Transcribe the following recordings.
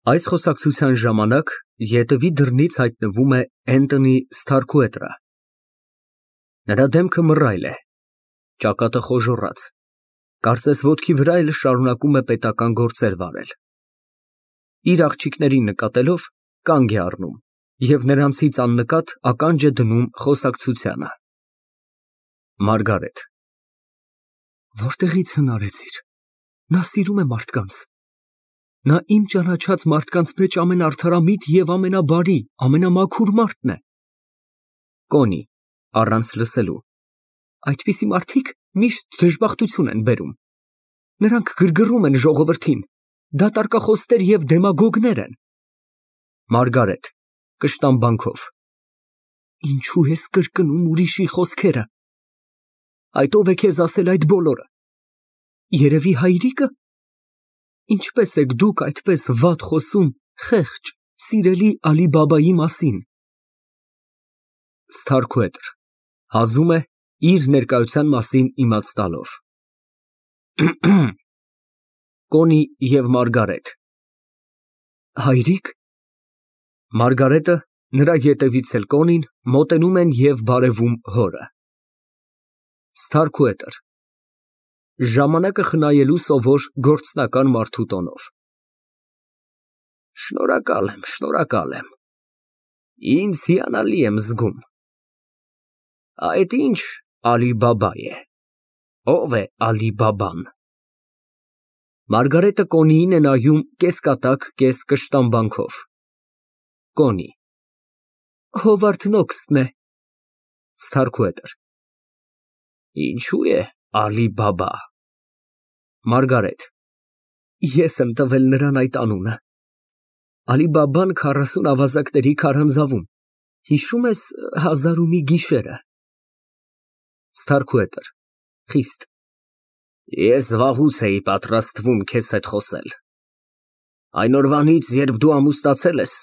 Այս խոսակցության ժամանակ ետևի դռնից հայտնվում է Էնթոնի Սթարքուետերը։ Նրա դեմքը մռայլ է, ճակատը խոժոռաց, կարծես ոտքի վրա էլ շարունակում է պետական գործեր վարել։ Իր աղջիկներին նկատելով կանգ է առնում և նրանցից աննկատ ականջ է դնում խոսակցությանը։ ՄԱՐԳԱՐԵՏ ֊ Որտեղի՞ց հնարեցիր։ Նա սիրում է մարդկանց։ Նա իմ ճանաչած մարդկանց մեջ ամենաարդարամիտ և ամենաբարի, ամենամաքուր մարդն է։ (Կոնի, առանց լսելու) Այդպիսի մարդիկ միշտ դժբախտություն են բերում։ Նրանք գրգռում են ժողովրդին, դատարկախոսներ և դեմագոգներ են։ ՄԱՐԳԱՐԵՏ ֊ (Կշտամբանքով) Ինչո՞ւ ես կրկնում ուրիշի խոսքերը։ Այդ ո՞վ է քեզ ասել այդ բոլորը։ Երևի հայրիկը։ Ինչպե՞ս եք դուք այդպես վատ խոսում խեղճ, սիրելի Ալի֊Բաբայի մասին։ (Սթարքուետր հազում է, իր ներկայության մասին իմաց տալով)։ Կոնի և Մարգարետ։ Հայրիկ։ (Մարգարետը, նրա ետևից էլ Կոնին, մոտենում են և բարևում հորը)։ Սթարքուետր ֊ (Ժամանակը խնայելու սովոր գործնական մարդու տոնով) Շնորհակալ եմ, ինձ հիանալի եմ զգում։ Այդ ի՞նչ Ալի֊Բաբա է։ Ո՞վ է Ալի֊Բաբան։ (Մարգարետը Կոնիին է նայում կես֊կատակ, կես֊կշտամբանքով)։ Կոնի։ Հովարդ Նոքսն է։ Սթարքուետր ֊ Ինչո՞ւ է Ալի֊Բաբա։ Մարգարետ ֊ Ես եմ տվել նրան այդ անունը։ Ալի֊Բաբան 40 ավազակների քարանձավում, հիշո՞ւմ ես Հազար ու մի գիշերը։ Սթարքուետր ֊ (Խիստ) Ես վաղուց էի պատրաստվում քեզ հետ խոսել։ Այն օրվանից, երբ դու ամուսնացել ես,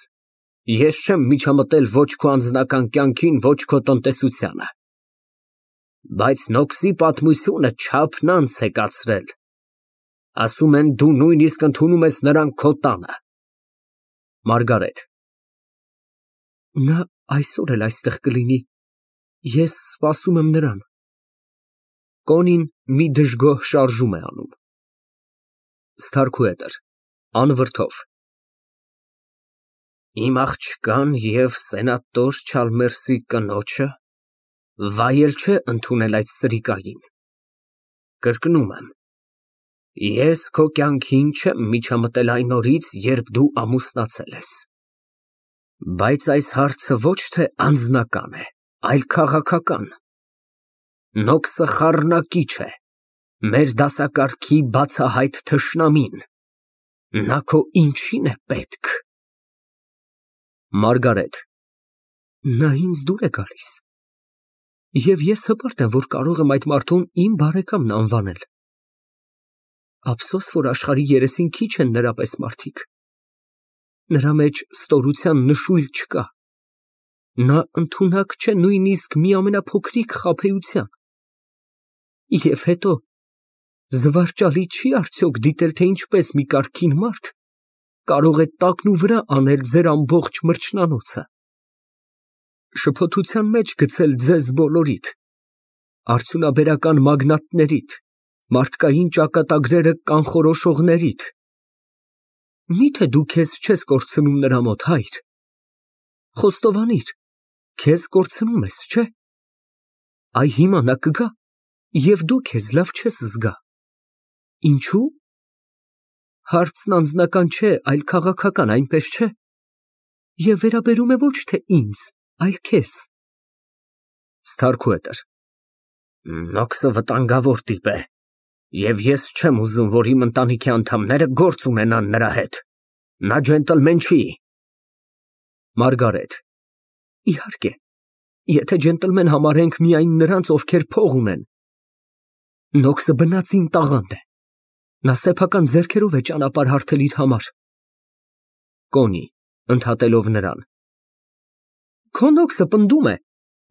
ես չեմ միջամտել ոչ քո անձնական կյանքին, ոչ քո տնտեսությանը։ Բայց Նոքսի պատմությունը չափն անց է կացրել։ Ասում են, դու նույնիսկ ընդունում ես նրան քո տանը։ Մարգարետ ֊ Նա այսօր էլ այստեղ կլինի։ Ես սպասում եմ նրան։ (Կոնին մի դժգոհ շարժում է անում)։ Սթարքուետր ֊ (Անվրդով) Իմ աղջկան և սենատոր Չալմերսի կնոջը վայել չէ ընդունել այդ սրիկային։ Կրկնում եմ, ես քո կյանքին չեմ միջամտել այն օրից, երբ դու ամուսնացել ես։ Բայց այս հարցը ոչ թե անձնական է, այլ քաղաքական։ Նոքսը խառնակիչ է, մեր դասակարգի բացահայտ թշնամին։ Նա քո ինչի՞ն է պետք։ Մարգարետ ֊ Նա ինձ դուր է գալիս։ Եվ ես հպարտ եմ, որ կարող եմ այդ մարդուն իմ բարեկամն անվանել։ Ափսոս, որ աշխարհի երեսին քիչ են նրա պես մարդիկ։ Նրա մեջ ստորության նշույլ չկա։ Նա ընդունակ չէ նույնիսկ մի ամենափոքրիկ խաբեության։ Եվ հետո, զվարճալի չի արդյոք դիտել, թե ինչպես մի կարգին մարդ կարող է տակնուվրա անել ձեր ամբողջ մրջնանոցը, շփոթության մեջ գցել ձեզ բոլորիդ, արդյունաբերական մագնատներիդ, մարդկային ճակատագրերը կանխորոշողներիդ։ Մի՞թե դու քեզ չես կորցնում նրա մոտ, հայր։ Խոստովանիր, քեզ կորցնում ես, չէ՞։ Այ հիմա նա կգա, և դու քեզ լավ չես զգա։ Ինչո՞ւ։ Հարցն անձնական չէ, այլ քաղաքական, այնպես չէ։ Եվ վերաբերում է ոչ թե ինձ, այլ քեզ։ Սթարքուետր ֊ Նոքսը վտանգավոր տիպ է, և ես չեմ ուզում, որ իմ ընտանիքի անդամները գործ ունենան նրա հետ։ Նա ջենտլմեն չի։ Մարգարետ ֊ Իհարկե, եթե ջենտլմեն համարենք միայն նրանց, ովքեր փող ունեն։ Նոքսը բնածին տաղանդ է։ Նա սեփական ձեռքերով է ճանապարհ հարթել իր համար։ Կոնի ֊ (Ընդհատելով նրան) Քո Նոքսը պնդում է,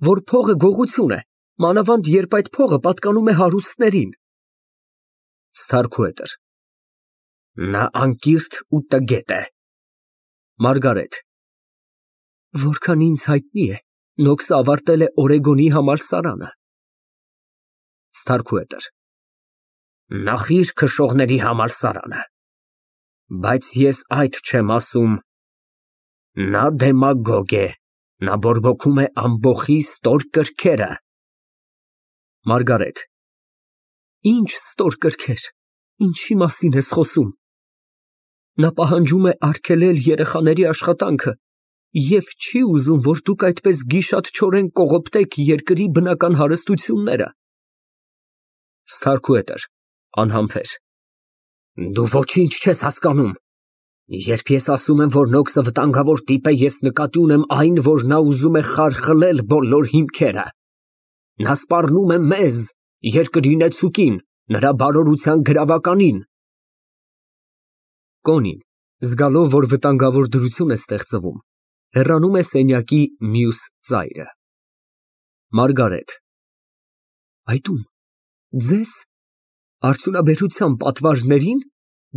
որ փողը գողություն է, մանավանդ երբ այդ փողը պատկանում է հարուստներին։ Սթարքուետր ֊ Նա անկիրթ ու տգետ է։ Մարգարետ։ Որքան ինձ հայտնի է, Նոքսը ավարտել է Օրեգոնի համալսարանը։ Ստարքուհետր։ Նախիր քշողների համալսարանը։ Բայց ես այդ չեմ ասում։ Նա դեմագոգ է, նա բորբոքում է ամբոխի ստոր կրքերը։ Մարգարետ։ Ինչ ստոր կրքեր, ինչի մասին ես խոսում։ Նա պահանջում է արգելել երեխաների աշխատանքը և չի ուզում, որ դուք այդպես գիշատչորեն կողոպտեք երկրի բնական հարստությունները։ Ստարքուհետր (անհամբեր) Դու ոչինչ չես հասկանում։ Երբ ես ասում եմ, որ Նոքսը վտանգավոր տիպ է, ես նկատի ունեմ այն, որ նա ուզում է խարխլել բոլոր հիմքերը։ Նա սպառնում է մեզ, երկրի նեցուկին, նրա բարօրության գրավականին։ Կոնին, զգալով, որ վտանգավոր դրություն է ստեղծվում, հեռանում է սենյակի մյուս ծայրը։ Մարգարետ։ Այդ ում, ձեզ, արդյունաբերության պատվարներին,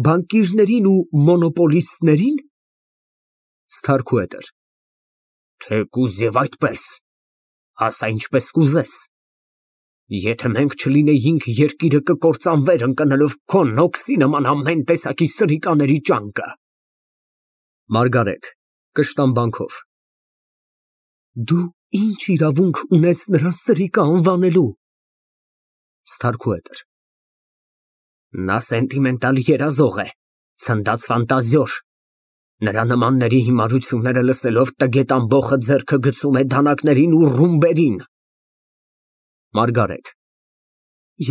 բանկիրներին ու մոնոպոլիստներին։ Ստարքուհետր։ Թեկուզ և այդպես, ասա ինչպես կուզես։ Եթե մենք չլինեինք, երկիրը կկործանվեր ընկնելով քո Նոքսի նման ամեն տեսակի սրիկաների ճանկը։ Մարգարետ (կշտամբանքով) Դու ինչ իրավունք ունես նրան սրիկա անվանելու։ Ստարքուհետր։ Նա սենտիմենտալ երազող է, ցնդած ֆանտազիոր։ Նրա նմանների հիմարությունները լսելով տգետ ամբոխը ձեռքը գցում է դանակներին ու ռումբերին։ Մարգարետ։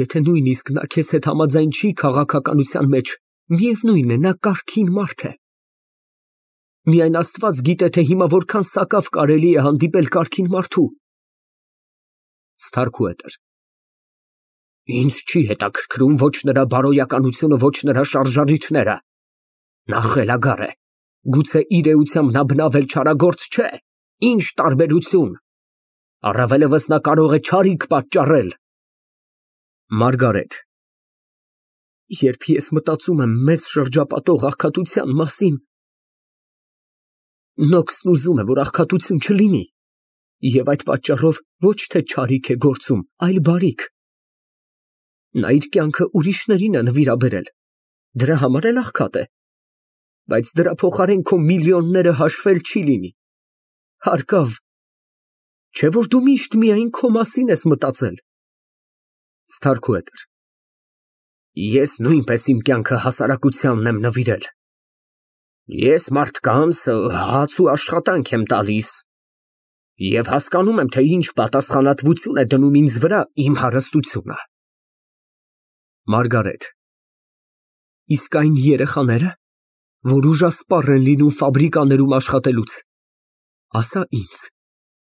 Եթե նույնիսկ նա քեզ հետ համաձայն չի քաղաքականության մեջ, միևնույն է, նա կարգին մարդ է։ Միայն Աստված գիտե, թե հիմա որքան սակավ կարելի է հանդիպել կարգին մարդու։ Ստարքուհետր։ Ինձ չի հետաքրքրում ոչ նրա բարոյականությունը, ոչ նրա շարժառիթները։ Նա խելագար է, գուցե իր էությամբ նա բնավել չարագործ չէ, ինչ տարբերություն։ Առավելևս նա կարող է չարիք պատճառել։ Մարգարետ։ Երբ ես մտածում եմ մեզ շրջապատող աղքատության մասին, Նոքսն ուզում է, որ աղքատություն չլինի, և այդ պատճառով ոչ թե չարիք է գործում, այլ բարիք։ Նա իր կյանքը ուրիշներին է նվիրաբերել, դրա համար էլ աղքատ է, բայց դրա փոխարեն քո միլիոնները հաշվել չի լինի։ Հարկավ, չէ՞ որ դու միշտ միայն քո մասին ես մտածել։ Ստարքուհետր։ Ես նույնպես իմ կյանքը հասարակությանն եմ նվիրել։ Ես մարդկանց հաց ու աշխատանք եմ տալիս և հասկանում եմ, թե ինչ պատասխանատվություն է դնում ինձ վրա իմ հարստությունը։ Մարգարետ։ Իսկ այն երեխաները, որ ուժասպառ են լինում ֆաբրիկաներում աշխատելուց, ասա ինձ,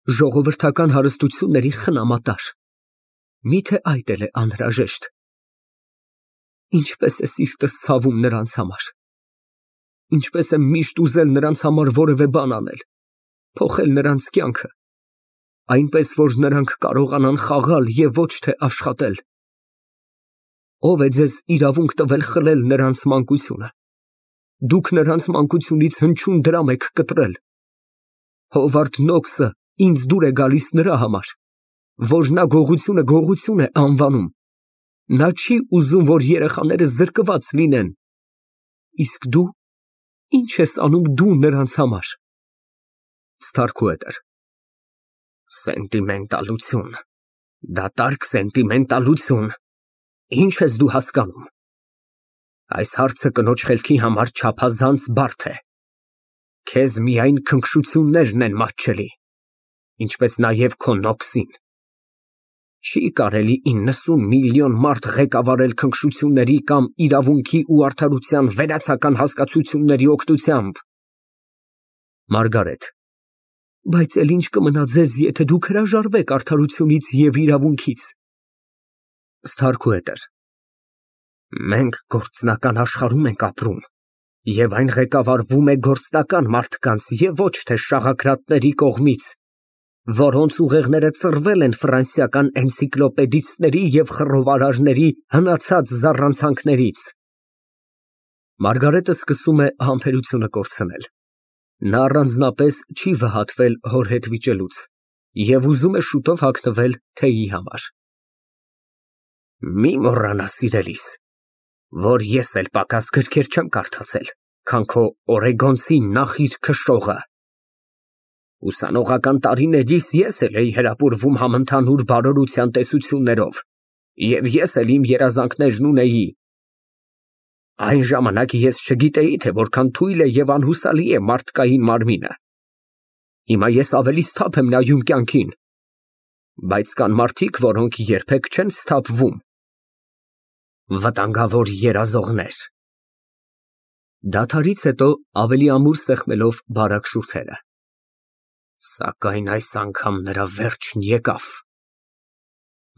ժողովրդական հարստությունների խնամատար, միթե այդ էլ է անհրաժեշտ։ Ինչպես է սիրտս ցավում նրանց համար։ Ինչպես եմ միշտ ուզել նրանց համար որևէ բան անել, փոխել նրանց կյանքը, այնպես, որ նրանք կարողանան խաղալ և ոչ թե աշխատել։ Ո՞վ է ձեզ իրավունք տվել խլել նրանց մանկությունը։ Դուք նրանց մանկությունից հնչյուն դրամ եք կտրել։ Հովարդ Նոքսը ինձ դուր է գալիս նրա համար, որ նա գողությունը գողություն է անվանում։ Նա չի ուզում, որ երեխաները զրկված լինեն։ Իսկ դու ինչ ես անում դու նրանց համար։ Ստարքուհետր։ Սենտիմենտալություն, դատարկ սենտիմենտալություն, ինչ ես դու հասկանում։ Այս հարցը կնոջ խելքի համար չափազանց բարդ է։ Քեզ միայն քնքշություններն են մատչելի, ինչպես նաև քո Նոքսին։ Չի կարելի 90 միլիոն մարդ ղեկավարել քնքշությունների կամ իրավունքի ու արդարության վերացական հասկացությունների օգնությամբ։ Մարգարետ։ Բայց էլ ինչ կմնա ձեզ, եթե դուք հրաժարվեք արդարությունից և իրավունքից։ Ստարքուհետր։ Մենք գործնական աշխարհում ենք ապրում, և այն ղեկավարվում է գործնական մարդկանց և ոչ թե շաղակրատների կողմից, որոնց ուղեղները ծռվել են ֆրանսիական էնցիկլոպեդիստների և խռովարարների հնացած զառանցանքներից։ Մարգարետը սկսում է համբերությունը կորցնել։ Նա առանձնապես չի վհատվել հոր հետ վիճելուց և ուզում է շուտով հագնվել թեյի համար։ Մի մոռանա, սիրելիս, որ ես էլ պակաս գրքեր չեմ կարդացել, քան քո օրեգոնցի նախիր քշողը։ Ուսանողական տարիներիս ես էլ էի հրապուրվում համընդհանուր բարօրության տեսություններով, և ես էլ իմ երազանքներն ունեի։ Այն ժամանակ ես չգիտեի, թե որքան թույլ է և անհուսալի է մարդկային մարմինը։ Հիմա ես ավելի սթափ եմ նայում կյանքին, բայց կան մարդիկ, որոնք երբեք չեն սթափվում։ Վտանգավոր երազողներ։ Դադարից հետո ավելի ամուր սեղմելով բարակ շուրթերը։ Սակայն այս անգամ նրա վերջն եկավ։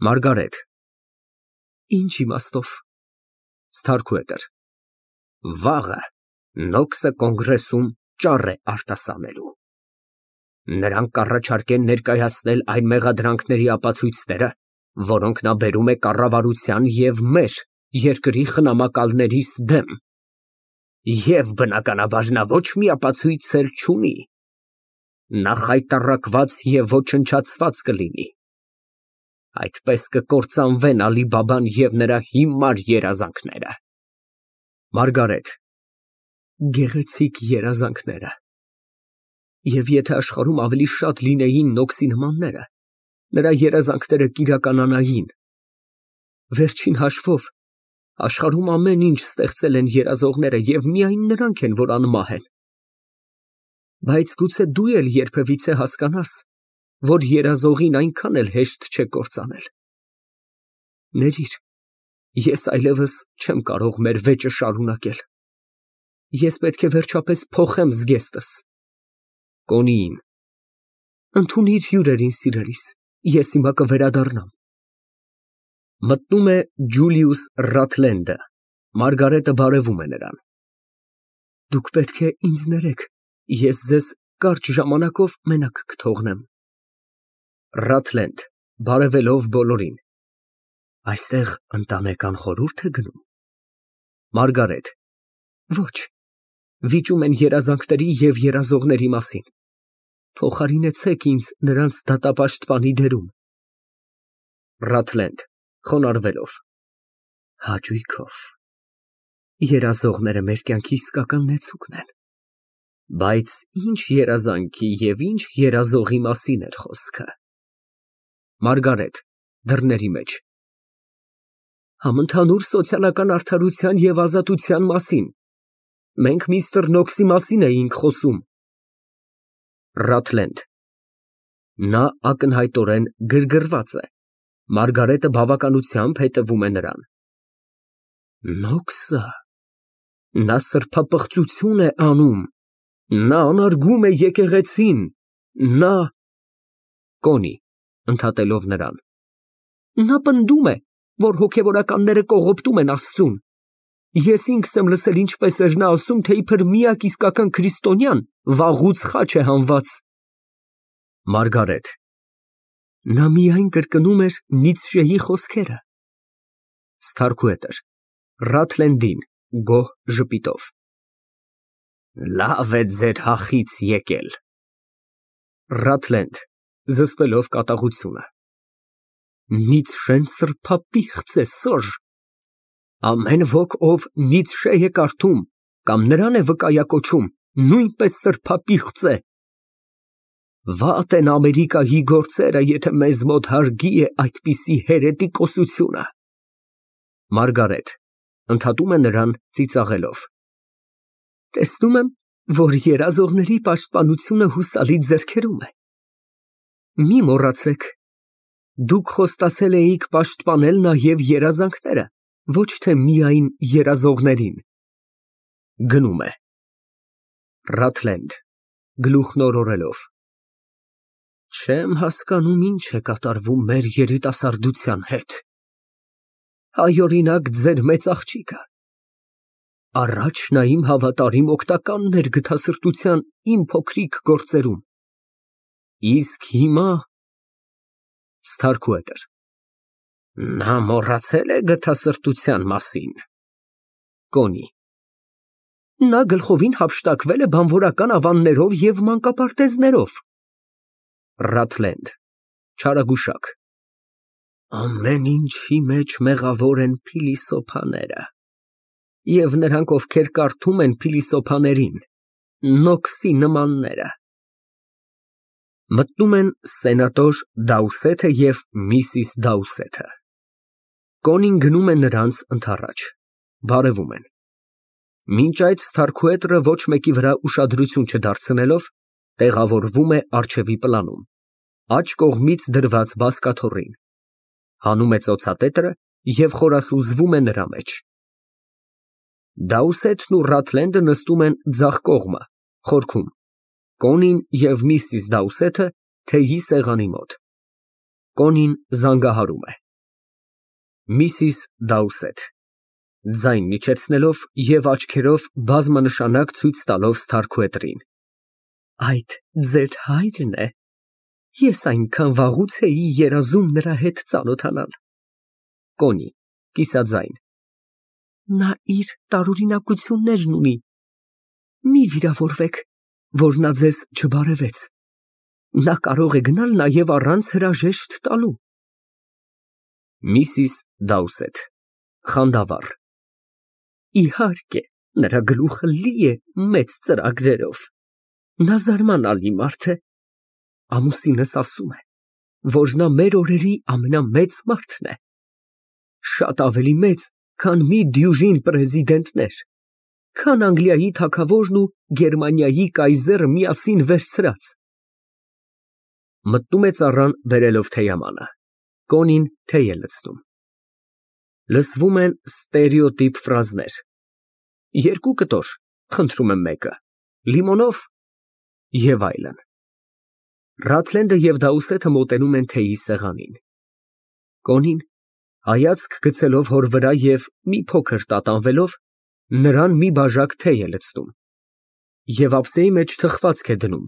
Մարգարետ։ Ինչ իմաստով։ Սթարքուետր։ Վաղը Նոքսը կոնգրեսում ճառ է արտասանելու։ Նրանք կառաջարկեն ներկայացնել այն մեղադրանքների ապացույցները, որոնք նա բերում է կառավարության և մեր երկրի խնամակալներիս դեմ։ Եվ բնականաբար նա ոչ մի ապացույց էլ չունի։ Նա խայտառակված և ոչնչացված կլինի։ Այդպես կկործանվեն Ալի֊Բաբան և նրա հիմար երազանքները։ Մարգարետ։ Գեղեցիկ երազանքները։ Եվ եթե աշխարհում ավելի շատ լինեին Նոքսի նմանները, նրա երազանքները կիրականանային։ Վերջին հաշվով, աշխարհում ամեն ինչ ստեղծել են երազողները և միայն նրանք են, որ անմահ են։ Բայց գուցե դու էլ երբևիցե հասկանաս, որ երազողին այնքան էլ հեշտ չէ կործանել։ Ներիր, ես այլևս չեմ կարող մեր վեճը շարունակել։ Ես պետք է վերջապես փոխեմ զգեստս։ Կոնիին։ Ընդունիր հյուրերին, սիրելիս, ես հիմա կվերադառնամ։ Մտնում է Ջուլիուս Ռաթլենդը, Մարգարետը բարևում է նրան։ Դուք պետք է ինձ ներեք, ես ձեզ կարճ ժամանակով մենակ կթողնեմ։ Ռաթլենդ բարևելով բոլորին։ Այստեղ ընտանեկան խորհուրդ է գնում։ Մարգարետ։ Ոչ, վիճում են երազանքների և երազողների մասին։ Փոխարինեցեք ինձ նրանց դատապաշտպանի դերում։ Ռաթլենդ խոնարհվելով։ Հաճույքով։ Երազողները մեր կյանքի իսկական նեցուկն են։ Բայց ինչ երազանքի և ինչ երազողի մասին էր խոսքը։ Մարգարետ դռների մեջ։ Համընդհանուր սոցիալական արդարության և ազատության մասին։ Մենք միստր Նոքսի մասին էինք խոսում։ Ռաթլենդ։ Նա ակնհայտորեն գրգռված է։ Մարգարետը բավականությամբ հետևում է նրան։ Նոքսը։ Նա սրբապղծություն է անում։ Նա անարգում է եկեղեցին։ Նա… Կոնի (ընդհատելով նրան). Նա պնդում է, որ հոգևորականները կողոպտում են Աստծուն։ Ես ինքս եմ լսել ինչպես էր նա ասում, թե իբր միակ իսկական քրիստոնյան վաղուց խաչ է հանված։ Մարգարետ. Նա միայն կրկնում էր Նիցշեի խոսքերը։ Սթարքուետր Ռաթլենդին գոհ ժպիտով. Լավ է ձեր հախից եկել։ Ռաթլենդ զսպելով կատաղությունը։ Նիցշեն սրբապիղծ է, Սըր։ Ամեն ոք, ով Նիցշե է կարդում կամ նրան է վկայակոչում, նույնպես սրբապիղծ է։ Վատ են Ամերիկայի գործերը, եթե մեզ մոտ հարգի է այդպիսի հերետիկոսությունը։ Մարգարետ (ընդհատում է նրան ծիծաղելով) Տեսնում եմ, որ երազողների պաշտպանությունը հուսալի ձեռքերում է։ Մի մոռացեք, դուք խոստացել էիք պաշտպանել նաև երազանքները, ոչ թե միայն երազողներին։ (Գնում է)։ Ռաթլենդ (Գլուխն օրորելով) Չեմ հասկանում, ինչ է կատարվում մեր երիտասարդության հետ։ Հայօրինակ ձեր մեծ աղջիկը։ Առաջ նա իմ հավատարիմ օգնականն էր գթասրտության իմ փոքրիկ գործերում։ Իսկ հիմա… Սթարքուետր Նա մոռացել է գթասրտության մասին։ Կոնի Նա գլխովին հափշտակվել է բանվորական ավաններով և մանկապարտեզներով։ Ռաթլենդ չարագուշակ։ Ամեն ինչի մեջ մեղավոր են փիլիսոփաները, և նրանք, ովքեր կարդում են փիլիսոփաներին, Նոքսի նմանները։ Մտնում են սենատոր Դաուսեթը և միսիս Դաուսեթը։ Կոնին գնում է նրանց ընդառաջ, բարևում են։ Մինչ այդ Սթարքուետրը ոչ մեկի վրա ուշադրություն չդարձնելով, տեղավորվում է առջևի պլանում, աջ կողմից դրված բազկաթոռին, հանում է ծոցատետրը և խորասուզվում է նրա մեջ։ Դաուսեթն ու Ռաթլենդը նստում են ձախ կողմը, խորքում, Կոնին և միսիս Դաուսեթը թեյի սեղանի մոտ։ Կոնին զանգահարում է։ Միսիս Դաուսեթ (ձայն իջեցնելով և աչքերով բազմանշանակ ցույց տալով Սթարքուետրին) Այդ ձեր հա՞յրն է։ Ես այնքան վաղուց էի երազում նրա հետ ծանոթանալ։ Կոնի (կիսաձայն) Նա իր տարօրինակություններն ունի։ Մի վիրավորվեք, որ նա ձեզ չբարևեց։ Նա կարող է գնալ նաև առանց հրաժեշտ տալու։ Միսիս Դաուսեթ (խանդավառ) Իհարկե, նրա գլուխը լի է մեծ ծրագրերով։ Նա զարմանալի մարդ է։ Ամուսինս ասում է, որ նա մեր օրերի ամենամեծ մարդն է։ Շատ ավելի մեծ, քան մի դյուժին պրեզիդենտներ, քան Անգլիայի թագավորն ու Գերմանիայի կայզերը միասին վերցրած։ Մտնում է ծառան բերելով թեյամանը։ Կոնին թեյ է լցնում։ Լսվում են ստերեոտիպ ֆրազներ. Երկու կտոր, խնդրում եմ մեկը, լիմոնով և այլն։ Ռաթլենդը և Դաուսեթը մոտենում են թեյի սեղանին։ Կոնին, հայացք գցելով հոր վրա և մի փոքր տատանվելով, նրան մի բաժակ թեյ է լցնում և ափսեի մեջ թխվածք է դնում,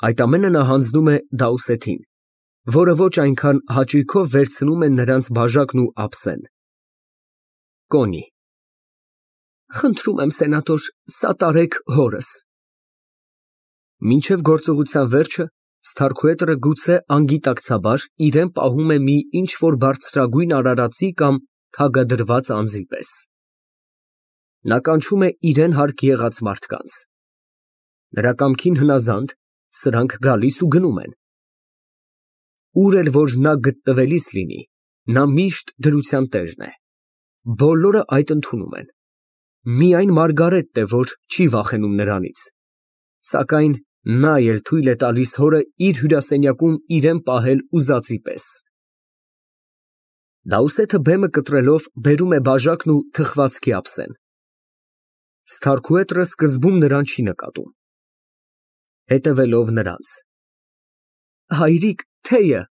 այդ ամենը նա հանձնում է Դաուսեթին, որը ոչ այնքան հաճույքով վերցնում է նրանց բաժակն ու ափսեն։ Կոնի Խնդրում եմ, սենատոր, սատարեք հորս։ Մինչև գործողության վերջը Սթարքուետրը գուցե անգիտակցաբար իրան պահում է մի ինչ֊որ բարձրագույն արարածի կամ թագադրված անձի պես։ Նա կանչում է իրան հարկ եղած մարդկանց։ Նրա կամքին հնազանդ, սրանք գալիս ու գնում են։ Ուր էլ որ նա գտնվելիս լինի, նա միշտ դրության տերն է։ Բոլորը այդ ընդունում են։ Միայն Մարգարետն է, որ չի վախենում նրանից, սակայն նա էլ թույլ է տալիս հորը իր հյուրասենյակում իրան պահել ուզածի պես։ Դաուսեթը բեմը կտրելով բերում է բաժակն ու թխվածքի ափսեն։ Սթարքուետրը սկզբում նրան չի նկատում։ Հետևելով նրանց։ Հայրիկ, թեյը։